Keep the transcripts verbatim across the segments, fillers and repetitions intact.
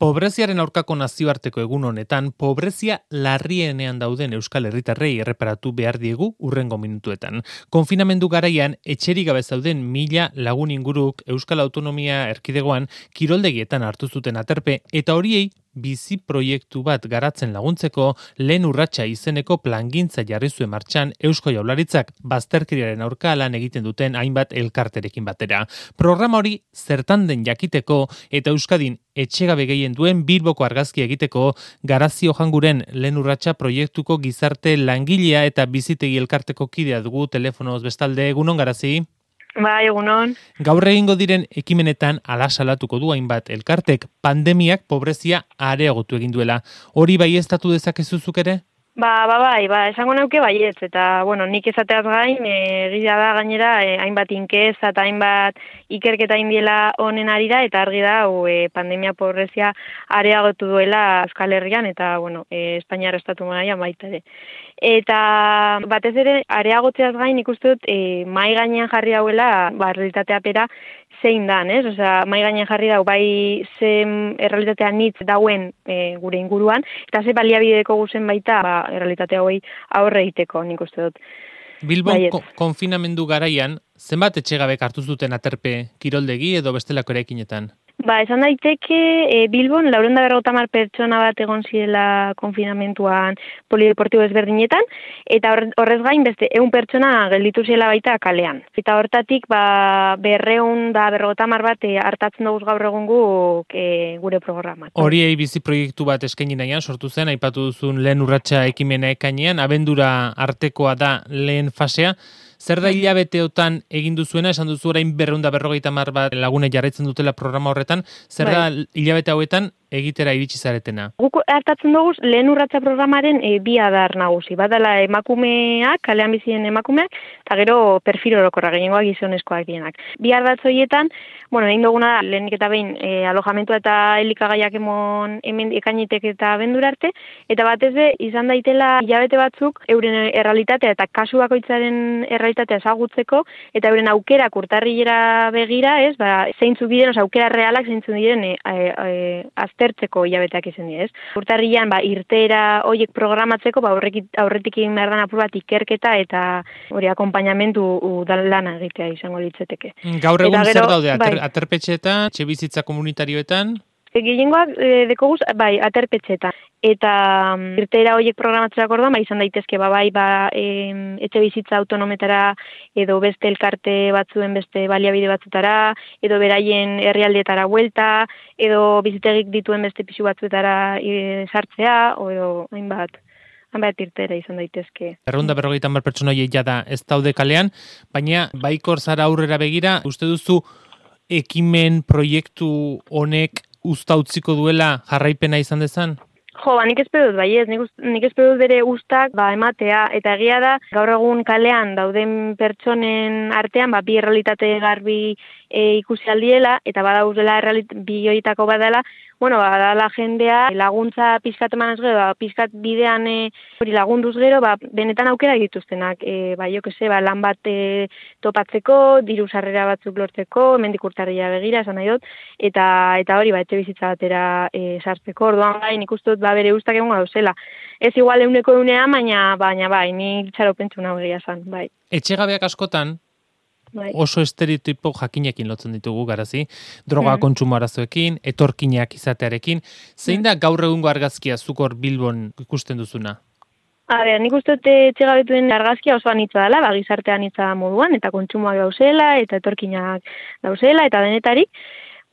Pobreziaren aurkako nazioarteko egun honetan, pobrezia larrienean dauden Euskal Herritarrei erreparatu behar diegu urrengo minutuetan. Konfinamendu garaian, etxerik gabe zauden mila lagun inguruk Euskal Autonomia Erkidegoan kiroldegietan hartu zuten aterpe eta horiei bizi proiektu bat garatzen laguntzeko lehen urratsa izeneko plangintza jarri zuen martxan Eusko Jaurlaritzak bazterkeriaren aurka lan egiten duten hainbat elkarterekin batera. Programa hori zertan den jakiteko eta Euskadin etxegabe gehien duen Bilboko argazki egiteko Garazio Janguren lehen urratsa proiektuko gizarte langilea eta bizitegi elkarteko kidea dugu telefonoz bestalde. Egunon, Garazi? Bai, egunon. Gaur egingo diren ekimenetan ala salatuko du hainbat elkartek pandemiak pobrezia areagotu egin duela. Hori baieztatu dezakezu zuk ere? Ba, ba, bai, ba, esango nauke baietz, eta, bueno, nik esateaz gain, egia da gainera, e, hainbat inkeza eta hainbat ikerketa indiela honen arira, eta argi da, o, e, pandemia pobrezia areagotu duela Euskal Herrian, eta, bueno, e, Espainiar estatu mailan baita ere. Eta batez ere, areagotzeaz gain ikusten dut, e, mai gainean jarri hauela, ba, realitatea pera, zein dan, ez? Osea, mai gainean jarri dau, bai zen errealitatea nitz dauen e, gure inguruan, eta ze baliabideko guzen baita, ba, errealitate hauei aurre egiteko, nik uste dut. Bilbon ko- konfinamendu garaian, zenbat etxegabek hartu zuten aterpe kiroldegi edo bestelako eraikinetan? Ba, esan daiteke, e, Bilbon, laurehun eta berrogeita hamar pertsona bat egon zirela konfinamentuan polideportibo ezberdinetan, eta horrez gain beste ehun pertsona gelditu zirela baita kalean. Eta hortatik, ba, berrehun da berrogeita hamar bat e, hartatzen dugu gaur egungo e, gure programan. Horiei bizi proiektu bat eskaini nahian sortu zen, aipatu duzun lehen urratsa ekimena ekainean, abendura artekoa da lehen fasea. Zer da hilabeteotan egin duzuena, esan duzu orain berrehun eta berrogeita hamar bat lagune jarraitzen dutela programa horretan, zer da hilabete hauetan egitera iritsi zaretena? Guk hartatzen dugu lehen urratsa programaren e, bi adar nagusi. Badala emakumeak, kalean bizien emakumeak, eta gero perfil orokorra, gehiengoak gizonezkoak dienak. Bi ardatz horietan, bueno, egin duguna da, lehenik eta behin e, alojamentua eta elikagaiak emon hemen ekainetek eta abendura arte, eta batez ere izan daitela hilabete batzuk euren errealitatea eta kasu bakoitzaren errealitatea ezagutzeko, eta euren aukerak urtarrilera begira, ez, ba, zeintzuk diren, oza, aukera realak zeintzuk diren e, e, e, aztertzeko hilabeteak izan dira, ez. Urtarrilan, ba, irtera horiek programatzeko, ba, aurretik, aurretik egin behar dan apur bat ikerketa eta hori akompainamentu lana egitea izango litzeteke. Gaur egun gero, zer daude, ater, bai. aterpetxeetan, etxebizitza komunitarioetan? Gehiengoak e, dekoguz, bai, aterpetxetan. Eta um, irteera horiek programatzerako orduan, ba, izan daitezke, ba, bai, ba, e, etxe bizitza autonometara, edo beste elkarte batzuen beste baliabide batzutara, edo beraien herrialdeetara buelta, edo bizitegik dituen beste pisu batzuetara e, sartzea, o edo hainbat. Hanbat irtera izan daitezke. Berrehun eta berrogeita hamar pertsona horiek jada ez daude kalean, baina baikor zara aurrera begira, uste duzu ekimen proiektu honek usta utziko duela jarraipena izan dezan? Jo, ba, nik espero dut, bai ez, nik, nik espero dut bere ustak ba, ematea, eta egia da, gaur egun kalean dauden pertsonen artean, ba, bi errealitate garbi e, ikusi aldiela, eta badauzela bi horietako badala, bueno, badala jendea laguntza pizkat emanez gero, ba, pizkat bidean e, hori lagunduz gero, ba, benetan aukera dituztenak, e, ba, jo que se, ba, lan bat e, topatzeko, diru sarrera batzuk lortzeko, hemendik urtarrila begira, esan nahi dut, eta eta hori, ba, etxe bizitza batera e, sartzeko, orduan gai, nik uste dut, ba, bere ustak egongo dauzela. Ez igual euneko eunean, baina, baina, bai, ni txaro pentsu nago egia zan, bai. Etxegabeak askotan, Bai. oso estereotipo jakinekin lotzen ditugu, Garazi, droga mm. kontsumo arazoekin, etorkinak izatearekin. Zein da gaur egungo argazkia zuk hor Bilbon ikusten duzuna? A ber, nik uste dut etxegabetuen argazkia oso anitza dela, ba, gizarte anitza moduan, eta kontsumoak dauzela, eta etorkinak dauzela, eta denetarik.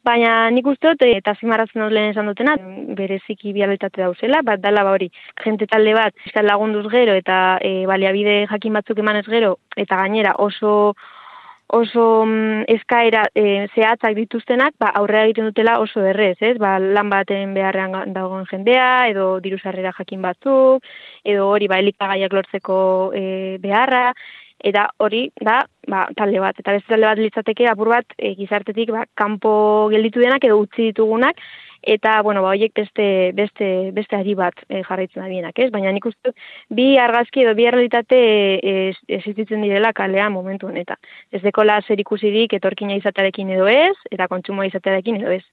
Baina nik uste dut, eta zimarratzen dut lehen esan dutena, bereziki bialitate dauzela, bat dala ba hori, jente talde bat, izan lagunduz gero, eta e, baliabide jakin batzuk emanez gero, eta gainera oso oso mm, eskaera e, zehatzak dituztenak, ba, aurrera egiten dutela oso errez, ez? Ba, lan baten beharrean dagoen jendea, edo diru sarrera jakin batzuk, edo hori ba, elikagaiak lortzeko e, beharra, eta hori da ba, talde bat. Eta beste talde bat litzateke apur bat e, gizartetik ba, kanpo gelditu denak edo utzi ditugunak, eta, bueno, ba, horiek beste, beste, beste ari bat e, jarraitzen adienak, ez? Baina nik uste bi argazki edo bi realitate e, existitzen direla kalean momentu honetan. Ez dekola zer ikusirik etorkina izatearekin edo ez, eta kontsumoa izatearekin edo ez.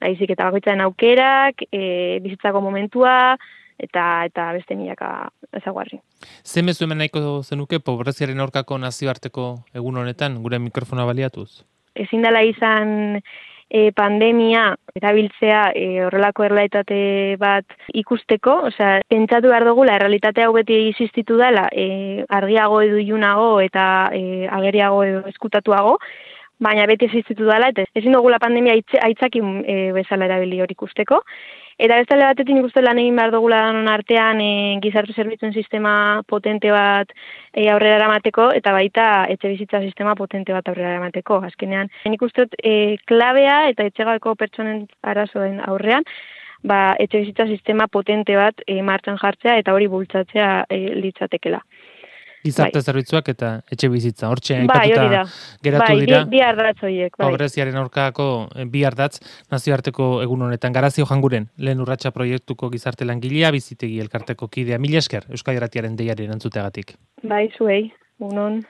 Baizik eta bakoitzaren aukerak, e, bizitzako momentua, eta eta beste milaka ezaguarri. Ze mezu hemen nahiko zenuke pobreziaren aurkako nazioarteko egun honetan, gure mikrofona baliatuz? Ezin dela izan e, pandemia erabiltzea e, horrelako errealitate bat ikusteko, osea, pentsatu behar dugu, la errealitate hau beti existitu dela, e, argiago edo ilunago eta e, ageriago edo eskutatuago, baina beti existitu dela, eta ezin dugula pandemia aitzakin e, bezala erabili hori ikusteko. Eta bestale batetik nik uste lan egin behar dugula danon artean e, gizarte zerbitzuen sistema potente bat e, aurrera eramateko, eta baita etxe bizitza sistema potente bat aurrera eramateko. Azkenean, nik uste e, klabea eta etxegabeko pertsonen arazoen aurrean, ba, etxe bizitza sistema potente bat e, martxan jartzea eta hori bultzatzea e, litzatekela. Gizarte bai. Zerbitzuak eta etxe bizitza. Hortxe bai, aipatuta geratu bai, dira. Bi, bi ardatz horiek. Bai. Pobreziaren aurkako bi ardatz nazioarteko egun honetan. Garazio Janguren, lehen urratsa proiektuko gizarte langilea, bizitegi elkarteko kidea. Mila esker, Euskadi Irratiaren deiaren entzuteagatik. Bai, zuei, unon.